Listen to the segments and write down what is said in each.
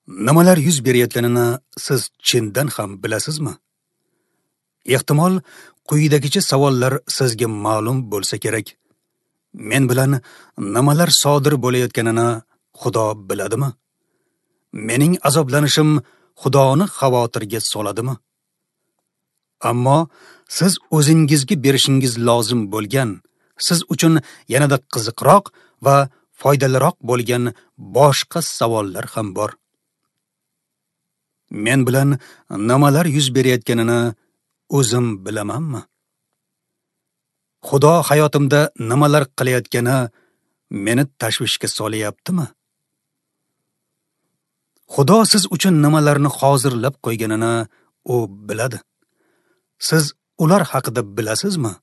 Nimalar yuz berayotganini siz chindan ham bilasizmi? Ehtimol quyidagicha savollar sizga ma'lum bo'lsa kerak. Men bilan nimalar sodir bo'layotganini Xudo biladimi? Mening azoblanishim Xudoni xavotirga soladimi? Ammo siz o'zingizga berishingiz lozim bo'lgan, siz uchun yanada qiziqroq va foydaliroq bo'lgan boshqa savollar ham bor. Men bilan nimalar yuz berayotganini o'zim bilamanmi? Xudo hayotimda nimalar qilayotgani meni tashvishga solyaptimi? Xudo siz uchun nimalarni hozirlab qo'yganini u biladi. Siz ular haqida bilasizmi?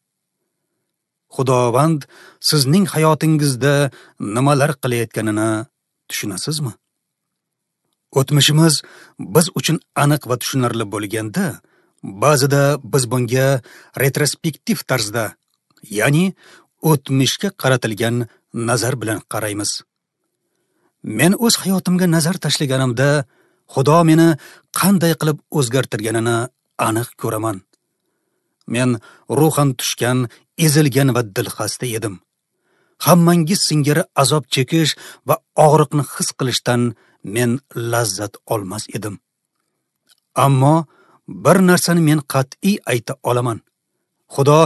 Xudovand sizning hayotingizda nimalar qilayotganini tushunasizmi? O'tmishimiz biz uchun aniq va tushunarli bo'lganda, ba'zida biz bunga retrospektiv tarzda, ya'ni o'tmishga qaratilgan nazar bilan qaraymiz. Men o'z hayotimga nazar tashlaganimda, Xudo meni qanday qilib o'zgartirganini aniq ko'raman. Men ruhan tushgan, ezilgan va dilxasta edim. Hammangiz singari azob chekish va og'riqni his qilishdan men lazzat olmas edim. Ammo bir narsani men qat'iy ayta olaman. Xudo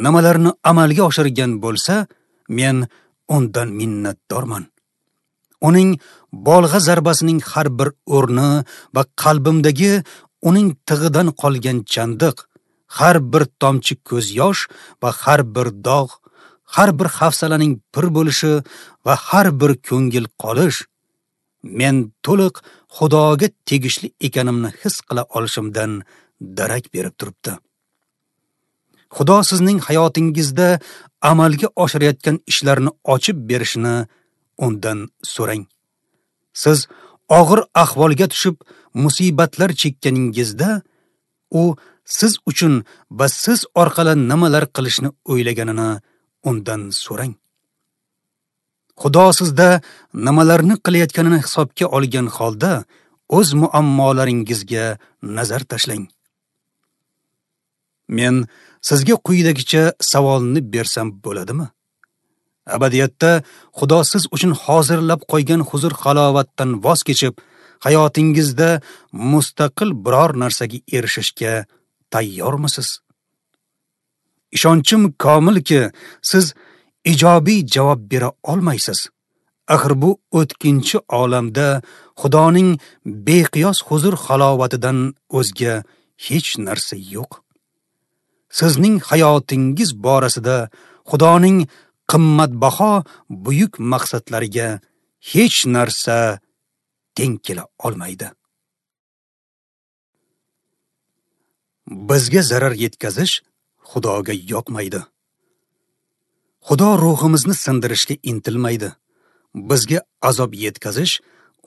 nimalarni amalga oshirgan bo'lsa, men undan minnatdorman. Uning bolg'a zarbasining har bir o'rni va qalbimdagi uning tig'idan qolgan chandiq, har bir tomchi ko'z yosh va har bir dog', har bir hafsalaning pir bo'lishi va har bir ko'ngil qolish, men to'liq Xudoga tegishli ekanimni his qila olishimdan darak berib turibdi. Xudo sizning hayotingizda amalga oshirayotgan ishlarni ochib berishini undan so'rang. Siz og'ir ahvolga tushib, musibatlar chekkaningizda, u siz uchun va siz orqali nimalar qilishni o'ylaganini undan so'rang. Xudo sizda nimalarni qilayotganini hisobga olgan holda o'z muammolaringizga nazar tashlang. Men sizga quyidagicha savolni bersam bo'ladimi? Abadiyatda Xudo siz uchun hozirlab qo'ygan huzur-halovatdan voz kechib, hayotingizda mustaqil biror narsaga erishishga tayyormisiz? Ishonchim komilki, siz ijobiy javob bera olmaysiz. Axir bu o'tkinchi olamda Xudoning beqiyos huzur-halovatidan o'zga hech narsa yo'q. Sizning hayotingiz borasida Xudoning qimmatbaho buyuk maqsadlariga hech narsa teng kela olmaydi. Bizga zarar yetkazish Xudoga yoqmaydi. Xudo ruhimizni sindirishga intilmaydi. Bizga azob yetkazish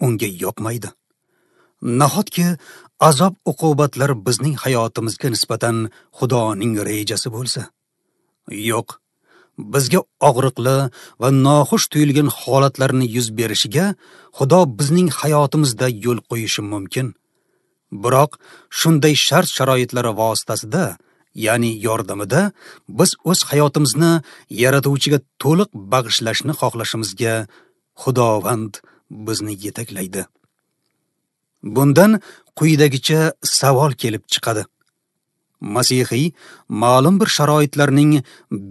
unga yoqmaydi. Nahotki azob uqubatlar bizning hayotimizga nisbatan Xudoning rejasi bo'lsa? Yo'q. Bizga og'riqli va noxush tuyulgan holatlarni yuz berishiga Xudo bizning hayotimizda yo'l qo'yishi mumkin. Biroq shunday shart-sharoitlar vositasida, ya'ni yordamida biz o'z hayotimizni Yaratuvchiga to'liq bag'ishlashni xohlashimizga Xudovand bizni yetaklaydi. Bundan quyidagicha savol kelib chiqadi. Masihiy ma'lum bir sharoitlarning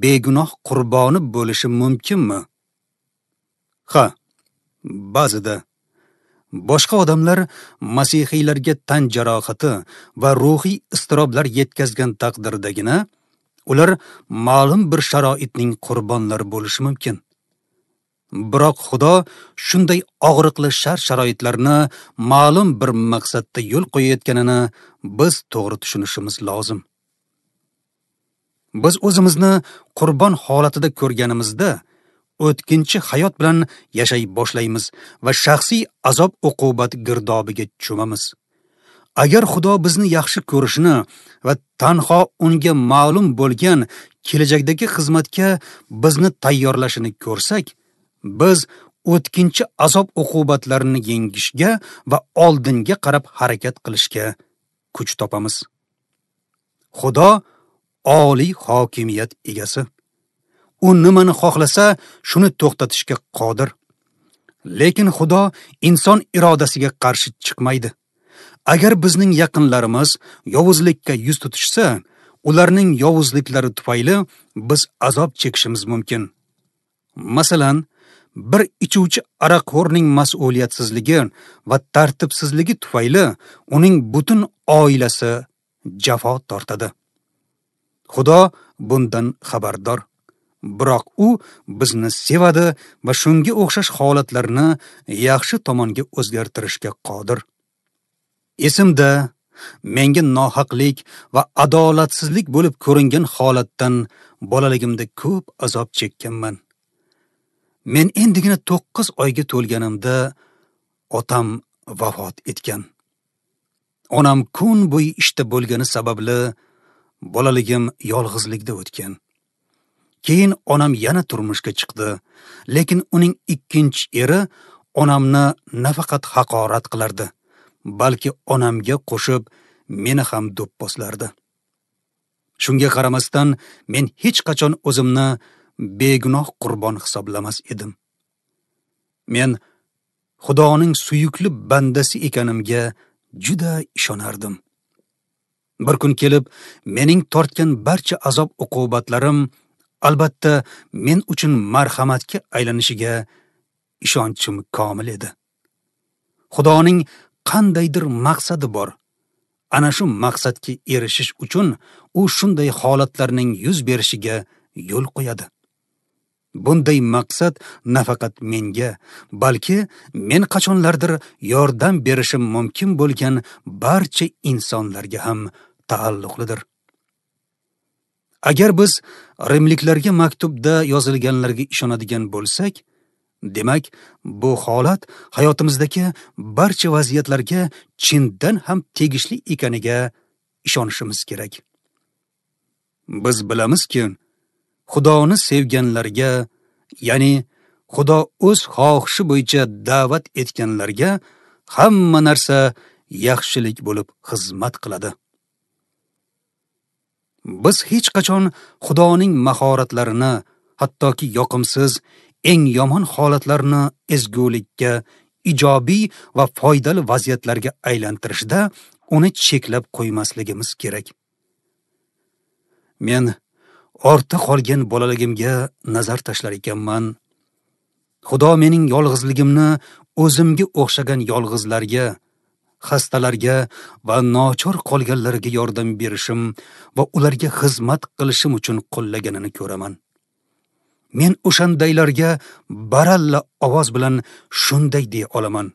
begunoh qurboni bo'lishi mumkinmi? Ha, ba'zida. Boshqa odamlar masihiylarga tan jarohati va ruhiy iztiroblar yetkazgan taqdirdagina ular ma'lum bir sharoitning qurbonlari bo'lishi mumkin. Biroq Xudo shunday og'riqli shart-sharoitlarni ma'lum bir maqsadda yo'l qo'yayotganini biz to'g'ri tushunishimiz lozim. Biz o'zimizni qurbon holatida ko'rganimizda o'tkinchi hayot bilan yashay boshlaymiz va shaxsiy azob-uqubat girdobiga cho'mamiz. Agar Xudo bizni yaxshi ko'rishini va tanho unga ma'lum bo'lgan kelajakdagi xizmatga bizni tayyorlashini ko'rsak, biz o'tkinchi azob uqubatlarini yengishga va oldinga qarab harakat qilishga kuch topamiz. Xudo oliy hokimiyat egasi. U nimani xohlasa, shuni to'xtatishga qodir. Lekin Xudo inson irodasiga qarshi chiqmaydi. Agar bizning yaqinlarimiz yovuzlikka yuz tutishsa, ularning yovuzliklari tufayli biz azob chekishimiz mumkin. Masalan, bir ichuvchi aroqxo'rning mas'uliyatsizligi va tartibsizligi tufayli uning butun oilasi jafo tortadi. Xudo bundan xabardor. Biroq u bizni sevadi va shunga o'xshash holatlarni yaxshi tomonga o'zgartirishga qodir. Esimda, menga nohaqlik va adolatsizlik bo'lib ko'ringan holatdan bolaligimda ko'p azob chekkanman. Men endigina 9 oyga to'lganimda otam vafot etgan. Onam kun bo'yi ishda bo'lgani sababli bolaligim yolg'izlikda o'tgan. Keyin onam yana turmushga chiqdi, lekin uning ikkinchi eri onamni nafaqat haqorat qilardi, balki onamga qo'shib meni ham do'pposlardi. Shunga qaramasdan men hech qachon o'zimni begunoh qurbon hisoblamas edim. Men Xudoning suyukli bandasi ekanimga juda ishonardim. Bir kun kelib mening tortgan barcha azob uqubatlarim albatta men uchun marhamatga aylanishiga ishonchim komil edi. Xudoning qandaydir maqsadi bor. Ana shu maqsadga erishish uchun u shunday holatlarning yuz berishiga yo'l qo'yadi. Bunday maqsad nafaqat menga, balki men qachonlardir yordam berishim mumkin bo'lgan barcha insonlarga ham taalluqlidir. Agar biz rimliklarga maktubda yozilganlarga ishonadigan bo'lsak, demak, bu holat hayotimizdagi barcha vaziyatlarga chindan ham tegishli ekaniga ishonishimiz kerak. Biz bilamizki, Xudoni sevganlarga, ya'ni Xudo o'z xohishi bo'yicha da'vat etganlarga hamma narsa yaxshilik bo'lib xizmat qiladi. Biz hech qachon Xudoning mahoratlarini, hattoki yoqimsiz, eng yomon holatlarni ezgulikka, ijobiy va foydali vaziyatlarga aylantirishda uni cheklab qo'ymasligimiz kerak. Men ortda qolgan bolaligimga nazar tashlar ekanman. Xudo mening yolg'izligimni o'zimga o'xshagan yolg'izlarga, xastalarga va nochor qolganlarga yordam berishim va ularga xizmat qilishim uchun qo'llaganini ko'raman. Men o'shandaylarga baralla ovoz bilan shunday deya olaman: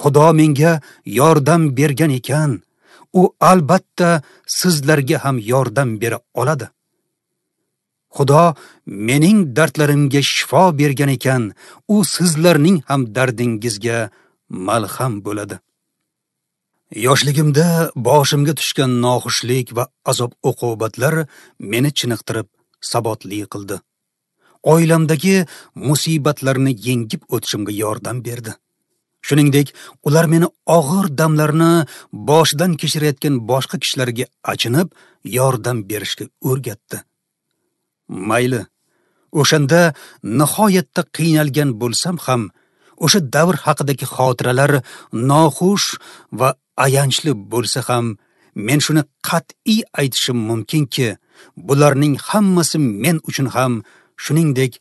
Xudo menga yordam bergan ekan, u albatta sizlarga ham yordam bera oladi. Xudo mening dardlarimga shifo bergan ekan, u sizlarning ham dardingizga malham bo'ladi. Yoshligimda boshimga tushgan noxushlik va azob uqubatlar meni chiniqtirib sabotli qildi. Oilamdagi musibatlarni yengib o'tishimga yordam berdi. Shuningdek, ular meni og'ir damlarni boshidan kechirayotgan boshqa kishilarga achinib, yordam berishga o'rgatdi. Mayli, o'shanda nihoyatda qiynalgan bo'lsam ham, o'sha davr haqidagi xotiralar noxush va ayanchli bo'lsa ham, men shuni qat'iy aytishim mumkinki, bularning hammasi men uchun ham, shuningdek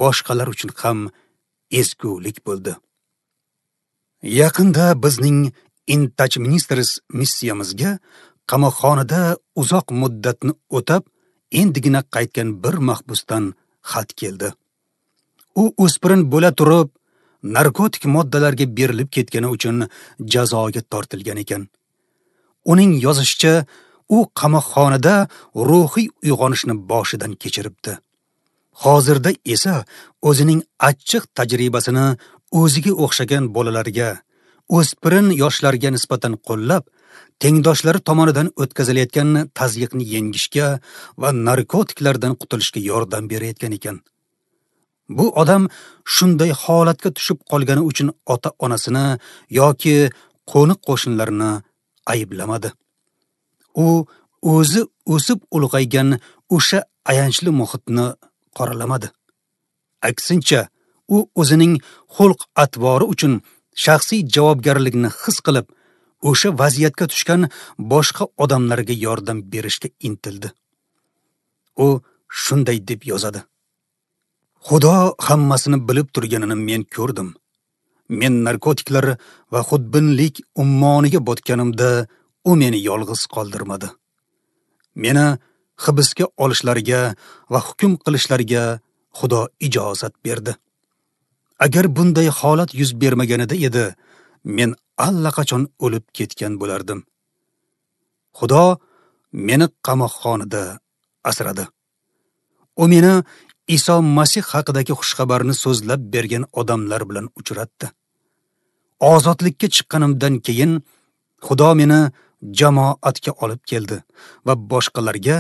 boshqalar uchun ham ezgulik bo'ldi. Yaqinda bizning In Touch Ministries missiyamizga qamoqxonada uzoq muddatni o'tab, endigina qaytgan bir mahbusdan xat keldi. U o'spirin bo'la turib, narkotik moddalarga berilib ketgani uchun jazoga tortilgan ekan. Uning yozishicha, u qamoqxonada ruhiy uyg'onishni boshidan kechiribdi. Hozirda esa o'zining achchiq tajribasini o'ziga o'xshagan bolalarga, o'spirin yoshlarga nisbatan qo'llab, tengdoshlari tomonidan o'tkazilayotgan tazyiqni yengishga va narkotiklardan qutulishga yordam berayotgan ekan. Bu odam shunday holatga tushib qolgani uchun ota-onasini yoki qo'ni-qo'shnilarini ayblamadi. U o'zi o'sib ulg'aygan o'sha ayanchli muhitni qoralamadi. Aksincha, u o'zining xulq-atvori uchun shaxsiy javobgarlikni his qilib, o'sha vaziyatga tushgan boshqa odamlarga yordam berishga intildi. U shunday deb yozadi: Xudo hammasini bilib turganini men ko'rdim. Men narkotiklar va xudbinlik ummoniga botganimda u meni yolg'iz qoldirmadi. Meni hibsga olishlariga va hukm qilishlariga Xudo ijozat berdi. Agar bunday holat yuz bermaganida edi, men allaqachon o'lib ketgan bo'lardim. Xudo meni qamoqxonada asradi. U meni Iso Masih haqidagi xushxabarni so'zlab bergan odamlar bilan uchratdi. Ozodlikka chiqqanimdan keyin Xudo meni jamoatga olib keldi va boshqalarga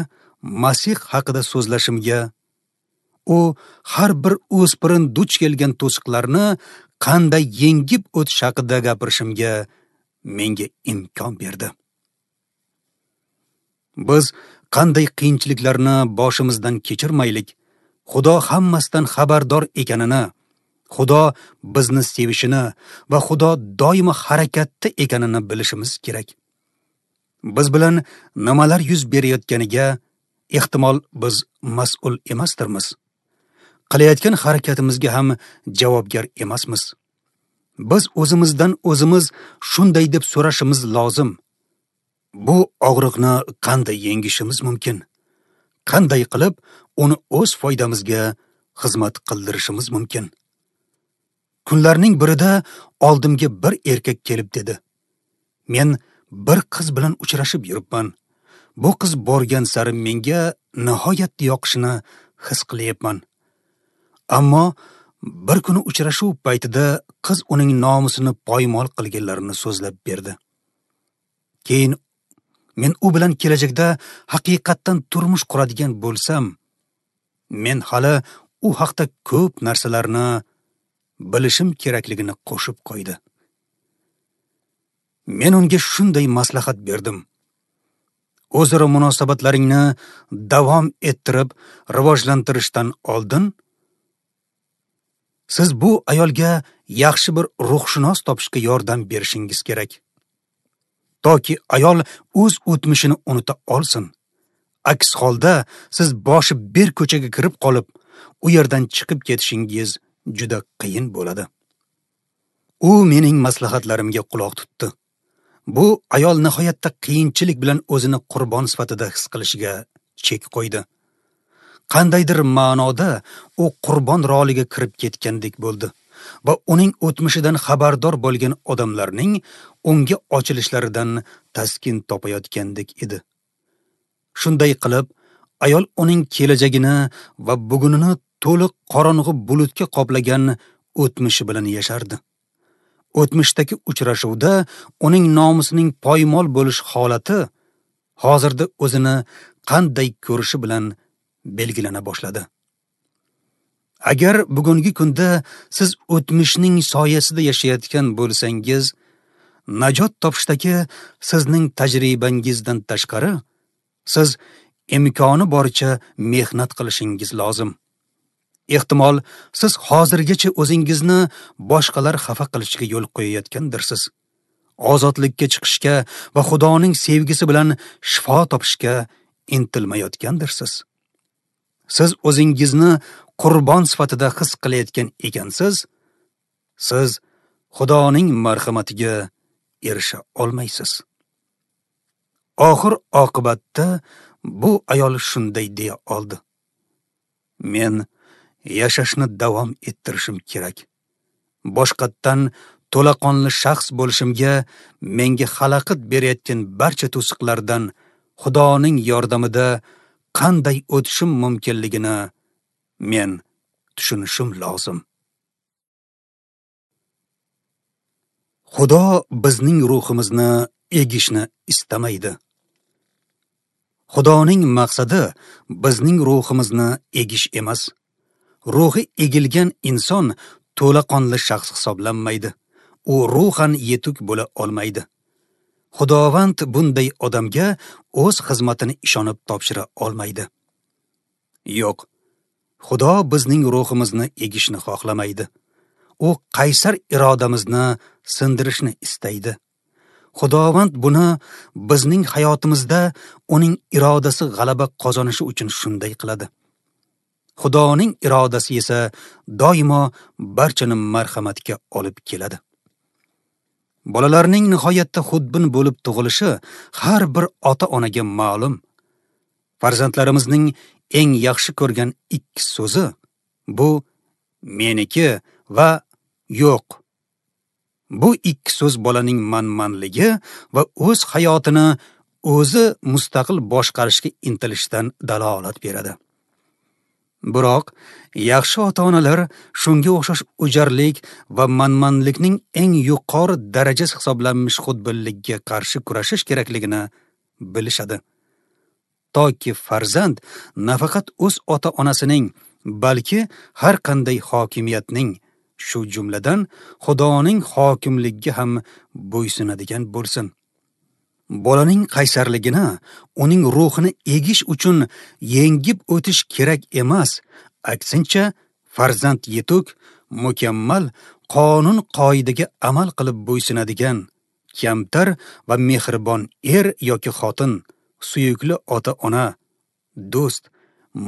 Masih haqida so'zlashimga, u har bir o'spirin duch kelgan to'siqlarni qanday yengib o'tish haqida gapirishimga menga imkon berdi. Biz qanday qiyinchiliklarni boshimizdan kechirmaylik, Xudo hammasidan xabardor ekanini, Xudo bizni sevishini va Xudo doimo harakatda ekanini bilishimiz kerak. Biz bilan nimalar yuz berayotganiga ehtimol biz mas'ul emasdirmiz. Qilayotgan harakatimizga ham javobgar emasmiz. Biz o'zimizdan o'zimiz shunday deb so'rashimiz lozim: bu og'riqni qanday yengishimiz mumkin? Qanday qilib uni o'z foydamizga xizmat qildirishimiz mumkin? Kunlarning birida oldimga bir erkak kelib dedi: Men bir qiz bilan uchrashib yuribman. Bu qiz borgan sari menga nihoyatda yoqishini his qilyapman. Ammo bir kuni uchrashuv paytida qiz uning nomusini poymol qilganlarini so'zlab berdi. Keyin men u bilan kelajakda haqiqatdan turmush quradigan bo'lsam, men hali u haqda ko'p narsalarni bilishim kerakligini qo'shib qo'ydi. Men unga shunday maslahat berdim: o'zaro munosabatlaringni davom ettirib rivojlantirishdan oldin siz bu ayolga yaxshi bir ruhshunos topishga yordam berishingiz kerak, toki ayol o'z o'tmishini unuta olsin. Aks holda siz boshi bir ko'chaga kirib qolib, u yerdan chiqib ketishingiz juda qiyin bo'ladi. U mening maslahatlarimga quloq tutdi. Bu ayol nihoyatda qiyinchilik bilan o'zini qurbon sifatida his qilishiga chek qo'ydi. Qandaydir ma'noda u qurbon roliga kirib ketgandek bo'ldi va uning o'tmishidan xabardor bo'lgan odamlarning unga ochilishlaridan taskin topayotgandek edi. Shunday qilib, ayol uning kelajagini va bugunini to'liq qorong'u bulutga qoplagan o'tmishi bilan yashardi. O'tmishdagi uchrashuvda uning nomusining poymol bo'lish holati hozirda o'zini qanday ko'rishi bilan belgilana boshladi. Agar bugungi kunda siz o'tmishning soyasida yashayotgan bo'lsangiz, najot topishdagi sizning tajribangizdan tashqari, siz imkoni boricha mehnat qilishingiz lozim. Ehtimol siz hozirgacha o'zingizni boshqalar xafa qilishiga yo'l qo'yayotgandirsiz. Ozodlikka chiqishga va Xudoning sevgisi bilan shifo topishga intilmayotgandirsiz. Siz o'zingizni qurbon sifatida his qilayotgan ekansiz, siz Xudoning marhamatiga erisha olmaysiz. Oxir oqibatda bu ayol shunday deya oldi: Men yashashni davom ettirishim kerak. Boshqatdan to'laqonli shaxs bo'lishimga menga xalaqit berayotgan barcha to'siqlardan Xudoning yordamida qanday o'tishim mumkinligini men tushunishim lozim. Xudo bizning ruhimizni egishni istamaydi. Xudoning maqsadi bizning ruhimizni egish emas. Ruhi egilgan inson to'laqonli shaxs hisoblanmaydi. U ruhan yetuk bo'la olmaydi. Xudovand bunday odamga o'z xizmatini ishonib topshira olmaydi. Yo'q, Xudo bizning ruhimizni egishni xohlamaydi. U qaysar irodamizni sindirishni istaydi. Xudovand buni bizning hayotimizda uning irodasi g'alaba qozonishi uchun shunday qiladi. Xudoning irodasi esa doimo barchani marhamatga olib keladi. Bolalarning nihoyatda xudbin bo'lib tug'ilishi har bir ota-onaga ma'lum. Farzandlarimizning eng yaxshi ko'rgan ikki so'zi bu meniki va yo'q. Bu ikki so'z bolaning manmanligi va o'z hayotini o'zi mustaqil boshqarishga intilishidan dalolat beradi. Biroq yaxshi ota-onalar shunga o'xshash o'jarlik va manmanlikning eng yuqori darajasi hisoblanmish xudbinlikka qarshi kurashish kerakligini bilishadi. Toki farzand nafaqat o'z ota-onasining, balki har qanday hokimiyatning, shu jumladan Xudoning hokimligiga ham bo'ysunadigan bo'lsin. Bolaning qaysarligini, uning ruhini egish uchun yengib o'tish kerak emas, aksincha farzand yetuk, mukammal, qonun qoidaga amal qilib bo'ysunadigan, kamtar va mehribon er yoki xotin, suyukli ota-ona, do'st,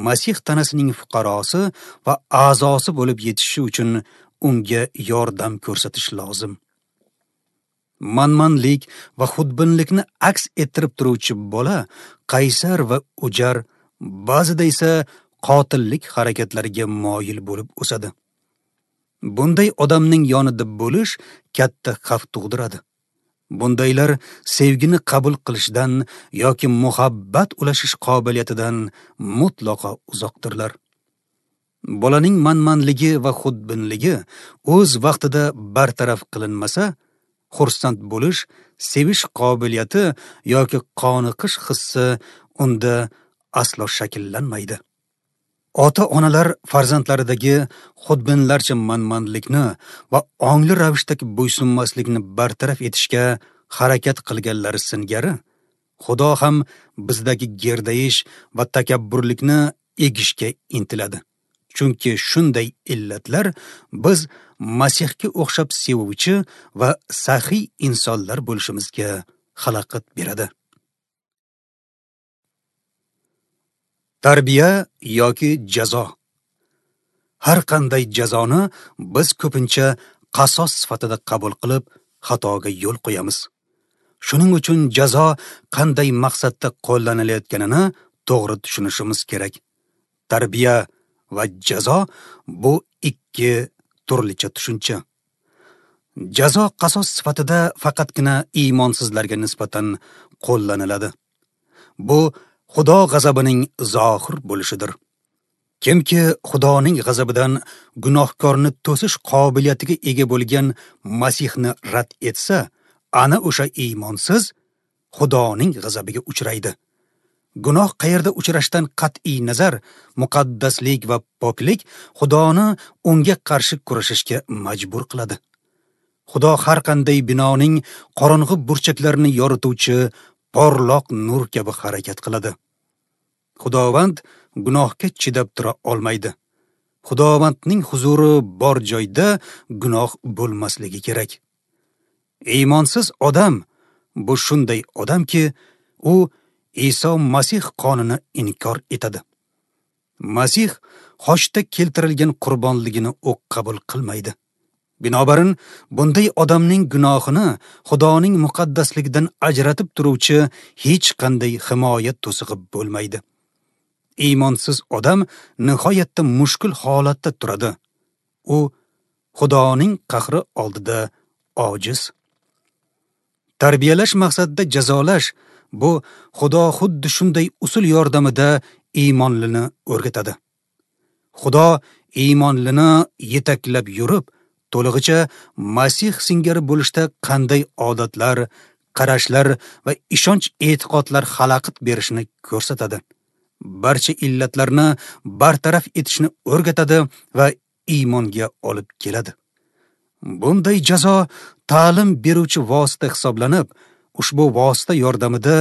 Masih tanasining fuqarosi va a'zosi bo'lib yetishishi uchun unga yordam ko'rsatish lozim. Manmanlik va xudbinlikni aks ettirib turuvchi bola qaysar va o'jar, ba'zida esa qotillik harakatlariga moyil bo'lib o'sadi. Bunday odamning yonida bo'lish katta xavf tug'diradi. Bundaylar sevgini qabul qilishdan yoki muhabbat ulashish qobiliyatidan mutlaqo uzoqdirlar. Bolaning manmanligi va xudbinligi o'z vaqtida bartaraf qilinmasa, xursand bo'lish, sevish qobiliyati yoki qoniqish hissi unda aslo shakllanmaydi. Ota-onalar farzandlaridagi xudbinlarcha manmanlikni va ongli ravishdagi bo'ysunmaslikni bartaraf etishga harakat qilganlari singari, Xudo ham bizdagi gerdayish va takabburlikni egishga intiladi. Chunki shunday illatlar biz Masihga o'xshab sevuvchi va saxiy insonlar bo'lishimizga xalaqit beradi. Tarbiya yoki jazo. Har qanday jazoni biz ko'pincha qasos sifatida qabul qilib, xatoga yo'l qo'yamiz. Shuning uchun jazo qanday maqsadda qo'llanilayotganini to'g'ri tushunishimiz kerak. Tarbiya va jazo bu ikki turlicha tushuncha. Jazo qasos sifatida faqatgina iymonsizlarga nisbatan qo'llaniladi. Bu Xudo g'azabining zohir bo'lishidir. Kimki Xudoning g'azabidan gunohkorni to'sish qobiliyatiga ega bo'lgan Masihni rad etsa, ana o'sha iymonsiz Xudoning g'azabiga uchraydi. Gunoh qayerda uchrashdan qat'iy nazar, muqaddaslik va poklik Xudoni unga qarshi kurashishga majbur qiladi. Xudo har qanday binoning qorong'i burchaklarini yorituvchi porloq nur kabi harakat qiladi. Xudovand gunohga chidab tura olmaydi. Xudovandning huzuri bor joyda gunoh bo'lmasligi kerak. Iymonsiz odam bu shunday odamki, u Iso Masih qonini inkor etadi. Masih xochda keltirilgan qurbonligini u qabul qilmaydi. Binobarin, bunday odamning gunohini Xudoning muqaddasligidan ajratib turuvchi hech qanday himoya to'sig'i bo'lmaydi. Iymonsiz odam nihoyatda mushkul holatda turadi. U Xudoning qahri oldida ojiz. Tarbiyalash maqsadida jazolash bu Xudo xuddi shunday usul yordamida iymonlini o'rgatadi. Xudo iymonlini yetaklab yurib, to'lig'icha Masih singari bo'lishda qanday odatlar, qarashlar va ishonch-e'tiqodlar xalaqit berishini ko'rsatadi. barcha illatlarni bartaraf etishni o'rgatadi va iymonga olib keladi. Bunday jazo ta'lim beruvchi vosita hisoblanib, ushbu vosita yordamida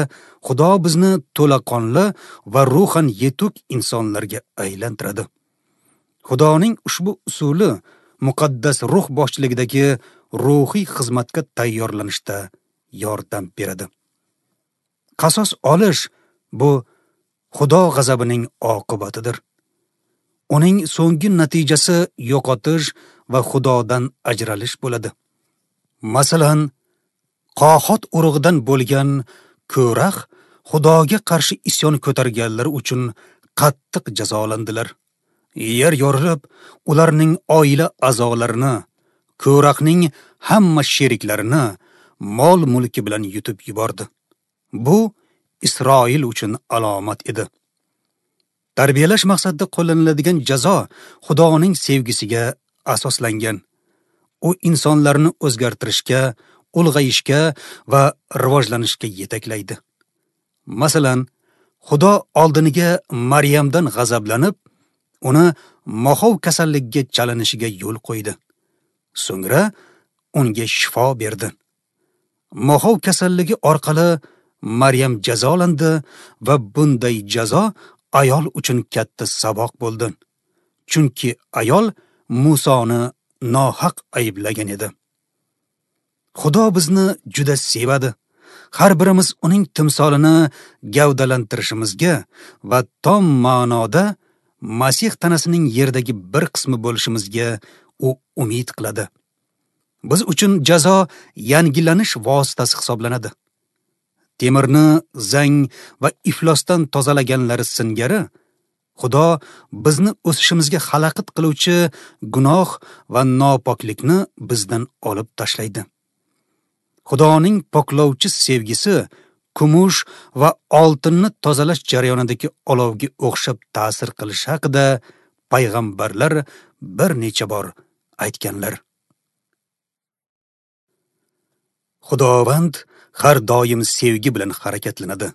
Xudo bizni to'laqonli va ruhan yetuk insonlarga aylantiradi. Xudoning ushbu usuli muqaddas ruh boshchiligidagi ruhiy xizmatga tayyorlanishda yordam beradi. Qasos olish bu Xudo g'azabining oqibatidir. Uning so'nggi natijasi yo'qotish va Xudodan ajralish bo'ladi. Masalan, Qohot urug'idan bo'lgan Ko'rax Xudoga qarshi isyon ko'targanlar uchun qattiq jazolandilar. Yer yorilib, ularning oila a'zolarini, Ko'raxning hamma sheriklarini mol-mulki bilan yutib yubordi. Bu Isroil uchun alomat edi. Tarbiyalash maqsadida qo'llaniladigan jazo Xudoning sevgisiga asoslangan. U insonlarni o'zgartirishga, ulg'ayishga va rivojlanishga yetaklaydi. Masalan, Xudo oldiniga Maryamdan g'azablanib, uni moxov kasalligiga chalinishiga yo'l qo'ydi. So'ngra unga shifo berdi. Moxov kasalligi orqali Maryam jazolandi va bunday jazo ayol uchun katta saboq bo'ldi. Chunki ayol Musoni nohaq ayblagan edi. Xudo bizni juda sevadi. Har birimiz uning timsolini gavdalantirishimizga va tom ma'noda Masih tanasining yerdagi bir qismi bo'lishimizga u umid qiladi. Biz uchun jazo yangilanish vositasi hisoblanadi. Temirni zang va iflosdan tozalaganlari singari, Xudo bizni o'sishimizga xalaqit qiluvchi gunoh va nopoklikni bizdan olib tashlaydi. Xudoning poklovchi sevgisi kumush va oltinni tozalash jarayonidagi olovga o'xshab ta'sir qilishi haqida payg'ambarlar bir necha bor aytganlar. Xudovand har doim sevgi bilan harakatlanadi.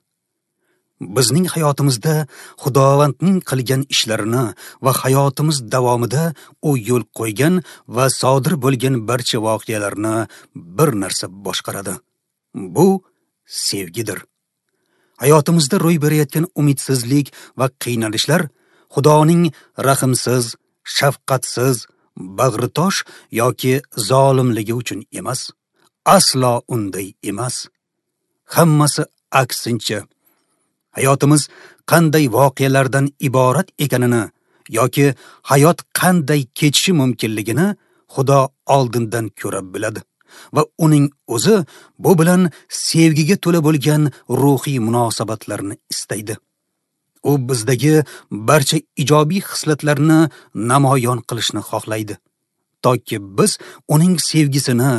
Bizning hayotimizda Xudovandning qilgan ishlarini va hayotimiz davomida u yo'l qo'ygan va sodir bo'lgan barcha voqealarni bir narsa boshqaradi. Bu sevgidir. Hayotimizda ro'y berayotgan umidsizlik va qiynalishlar Xudoning rahimsiz, shafqatsiz, bag'ritosh yoki zolimligi uchun emas. Aslo unday emas. Hammasi aksincha. Hayotimiz qanday voqealardan iborat ekanini yoki hayot qanday kechishi mumkinligini Xudo oldindan ko'ra biladi va uning o'zi bu bilan sevgiga to'la bo'lgan ruhiy munosabatlarni istaydi. U bizdagi barcha ijobiy xislatlarni namoyon qilishni xohlaydi, toki biz uning sevgisini,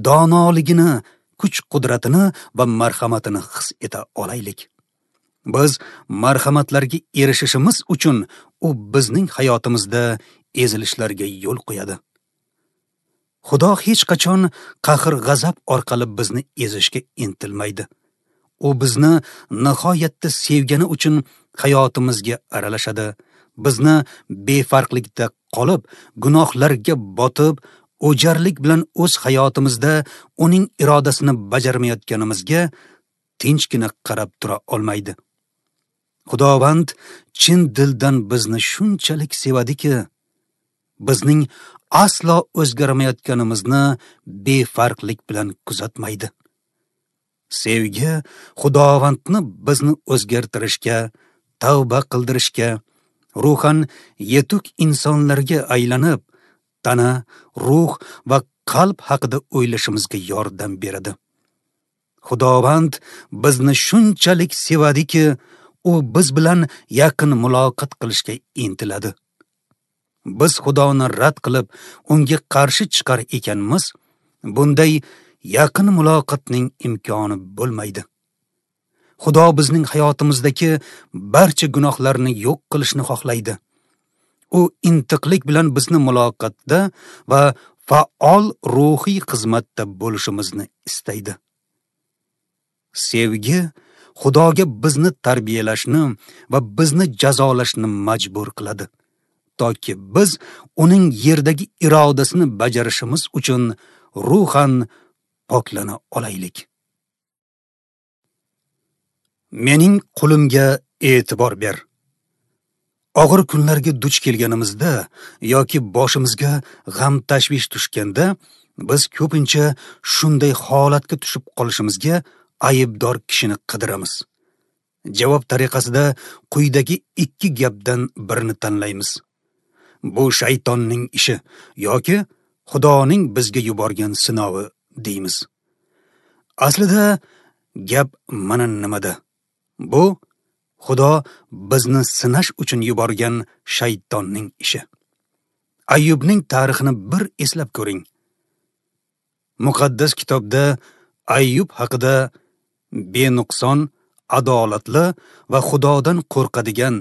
donoligini, kuch-qudratini va marhamatini his eta olaylik. Biz marhamatlarga erishishimiz uchun u bizning hayotimizda ezilishlarga yo'l qo'yadi. Xudo hech qachon qahr-g'azab orqali bizni ezishga intilmaydi. U bizni nihoyatda sevgani uchun hayotimizga aralashadi. Bizni befarqlikda qolib, gunohlarga botib, o'jarlik bilan o'z hayotimizda uning irodasini bajarmayotganimizga tinchgina qarab tura olmaydi. Xudovand chin dildan bizni shunchalik sevadiki, bizning aslo o'zgarmayotganimizni befarqlik bilan kuzatmaydi. Sevgi Xudovandni bizni o'zgartirishga, tavba qildirishga, ruhan yetuk insonlarga aylanib, tana, ruh va qalb haqida o'ylashimizga yordam beradi. Xudovand bizni shunchalik sevadiki, u biz bilan yaqin muloqot qilishga intiladi. Biz Xudoni rad qilib, unga qarshi chiqar ekanmiz, bunday yaqin muloqotning imkoni bo'lmaydi. Xudo bizning hayotimizdagi barcha gunohlarni yo'q qilishni xohlaydi. U intiqlik bilan bizni muloqotda va faol ruhiy xizmatda bo'lishimizni istaydi. Sevgi Xudoga bizni tarbiyalashni va bizni jazolashni majbur qiladi, toki biz uning yerdagi irodasini bajarishimiz uchun ruhan poklana olaylik. Mening qulimga e'tibor ber. Og'ir kunlarga duch kelganimizda yoki boshimizga g'am tashvish tushganda biz ko'pincha shunday holatga tushib qolishimizga aybdor kishini qidiramiz. Javob tariqasida quyidagi ikki gapdan birini tanlaymiz. Bu shaytonning ishi yoki Xudoning bizga yuborgan sinovi deymiz. Aslida gap mana nimada? Bu Xudo bizni sinash uchun yuborgan shaytonning ishi. Ayyubning tarixini bir eslab ko'ring. Muqaddas kitobda Ayyub haqida benuqson, adolatli va Xudodan qo'rqadigan,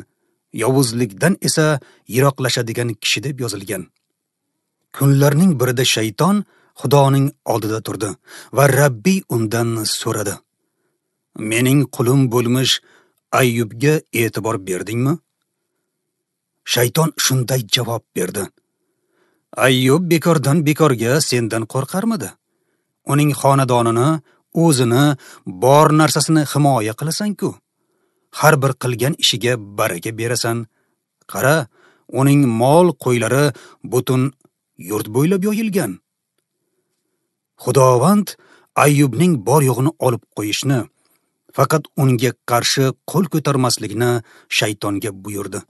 yovuzlikdan esa yiroqlashadigan kishi deb yozilgan. Kunlarning birida shayton Xudoning oldida turdi va Rabbiy undan so'radi: "Mening qulim bo'lmish Ayyubga e'tibor berdingmi?" Shayton shunday javob berdi: "Ayyub bekordan bekorga sendan qo'rqarmidi? Uning xonadonini, o'zini, bor narsasini himoya qilasan-ku. Har bir qilgan ishiga baraka berasan. Qara, uning mol qo'ylari butun yurt bo'ylab yoyilgan." Xudovand Ayyubning bor yo'g'ini olib qo'yishni, faqat unga qarshi qo'l ko'tarmaslikni shaytonga buyurdi.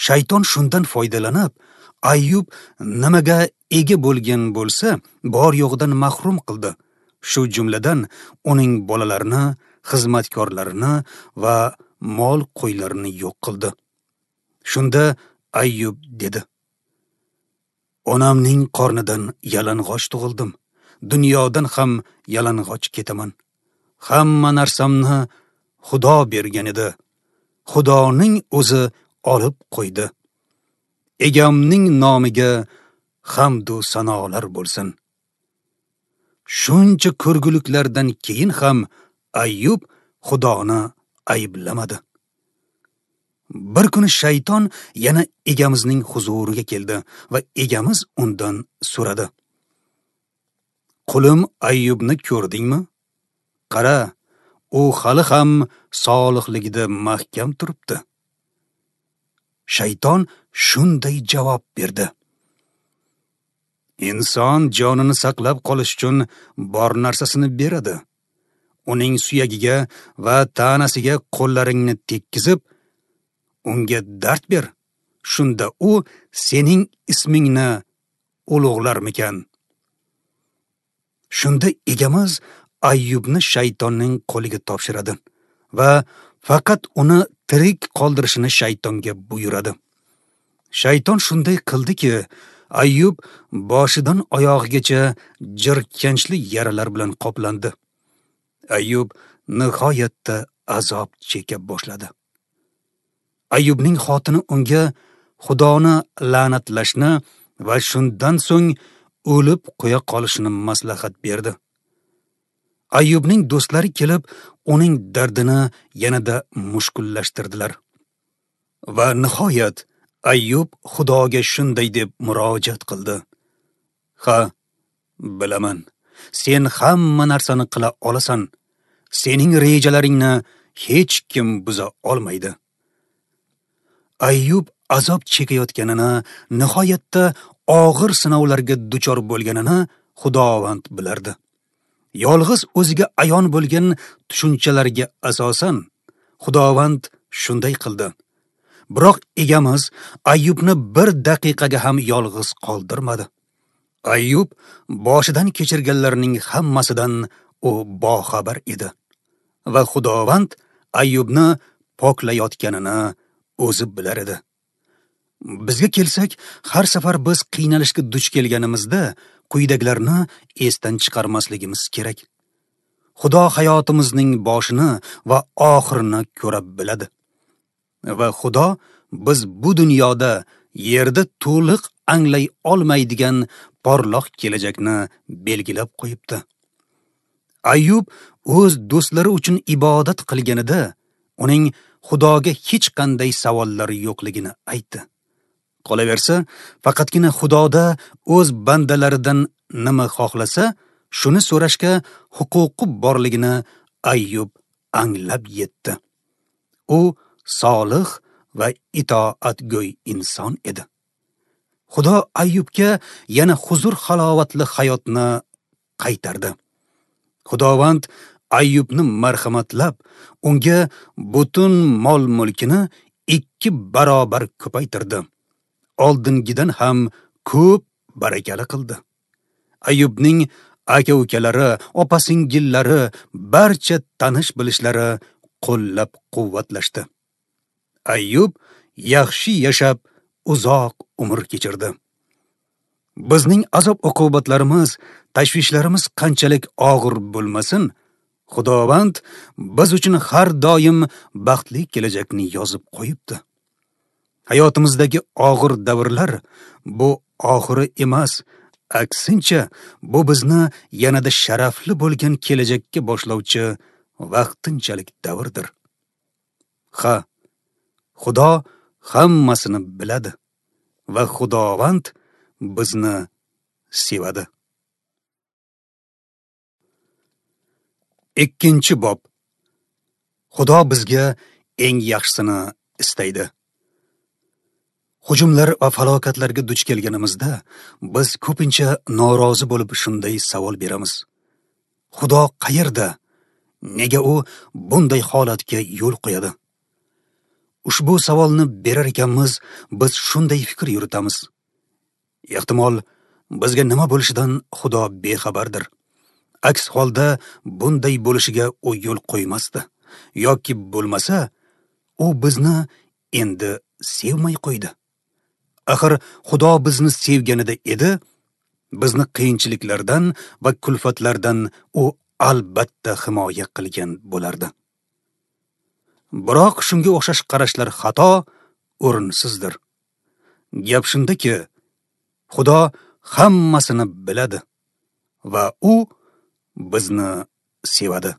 Shayton shundan foydalanib, Ayyub nimaga ega bo'lgan bo'lsa, bor yo'g'idan mahrum qildi. Shu jumladan uning bolalarini, xizmatkorlarini va mol qo'ylarini yo'q qildi. Shunda Ayyub dedi: "Onamning qornidan yalang'och tug'ildim, dunyodan ham yalang'och ketaman. Hamma narsamni Xudo bergan edi. Xudoning o'zi olib qo'ydi. Egamning nomiga hamd u sanolar bo'lsin." Shuncha ko'rguliklardan keyin ham Ayyub Xudoni ayblamadi. Bir kuni shayton yana egamizning huzuriga keldi va egamiz undan so'radi: "Qulim Ayyubni ko'rdingmi? Qara, u hali ham solihligida mahkam turibdi." Shayton shunday javob berdi: "Inson jonini saqlab qolish uchun bor narsasini beradi. Uning suyagiga va tanasiga qo'llaringni tekkizib, unga dard ber. Shunda u sening ismingni ulug'larmikan?" Shunda egamiz Ayyubni shaytonning qo'liga topshiradi va faqat uni tirik qoldirishini shaytonga buyuradi. Shayton shunday qildiki, Ayyub boshidan oyog'igacha jirkanchli yaralar bilan qoplandi. Ayyub nihoyatda azob cheka boshladi. Ayyubning xotini unga Xudoni la'natlashni va shundan so'ng o'lib qo'ya qolishini maslahat berdi. Ayyubning do'stlari kelib, uning dardini yanada mushkullashtirdilar. Va nihoyat Ayyub Xudoga shunday deb murojaat qildi: "Ha, bilaman, sen hamma narsani qila olasan. Sening rejalaringni hech kim buza olmaydi." Ayyub azob chekayotganini, nihoyatda og'ir sinovlarga duchor bo'lganini Xudovand bilardi. Yolg'iz o'ziga ayon bo'lgan tushunchalarga asosan Xudovand shunday qildi. Biroq egamiz Ayyubni bir daqiqaga ham yolg'iz qoldirmadi. Ayyub boshidan kechirganlarning hammasidan u boxabar edi va Xudovand Ayyubni poklayotganini o'zi bilar edi. Bizga kelsak, har safar biz qiynalishga duch kelganimizda quyidagilarni esdan chiqarmasligimiz kerak. Xudo hayotimizning boshini va oxirini ko'ra biladi. Va Xudo biz bu dunyoda yerda to'liq anglay olmaydigan porloq kelajakni belgilab qo'yibdi. Ayyub o'z do'stlari uchun ibodat qilganida uning Xudoga hech qanday savollari yo'qligini aytdi. Qolaversa, faqatgina Xudoda o'z bandalaridan nima xohlasa, shuni so'rashga huquqi borligini Ayyub anglab yetdi. U solih va itoatgo'y inson edi. Xudo Ayyubga yana huzur halovatli hayotni qaytardi. Xudovand Ayyubni marhamatlab, unga butun mol-mulkini 2 barobar ko'paytirdi. Oldingidan ham ko'p barakali qildi. Ayyubning aka-ukalari, opa-singillari, barcha tanish-bilishlari qo'llab-quvvatlashdi. Ayyub yaxshi yashab, uzoq umr kechirdi. Bizning azob-uqubatlarimiz, tashvishlarimiz qanchalik og'ir bo'lmasin, Xudovand biz uchun har doim baxtli kelajakni yozib qo'yibdi. Hayotimizdagi og'ir davrlar bu oxiri emas, aksincha bu bizni yanada sharafli bo'lgan kelajakka boshlovchi vaqtinchalik davrdir. Ha, Xudo hammasini biladi va Xudovand bizni sevadi. 2-bob. Xudo bizga eng yaxshisini istaydi. Hujumlar va falokatlarga duch kelganimizda biz ko'pincha norozi bo'lib shunday savol beramiz: Xudo qayerda? Nega u bunday holatga yo'l qo'yadi? Ushbu savolni berar ekanmiz, biz shunday fikr yuritamiz: ehtimol bizga nima bo'lishidan Xudo bexabardir. Aks holda bunday bo'lishiga u yo'l qo'ymasdi, yoki bo'lmasa u bizni endi sevmay qo'ydi. Axir Xudo bizni sevganida edi, bizni qiyinchiliklardan va kulfatlardan u albatta himoya qilgan bo'lardi. Biroq shunga o'xshash qarashlar xato, o'rinsizdir. Gap shundaki, Xudo hammasini biladi va u bizni sevadi.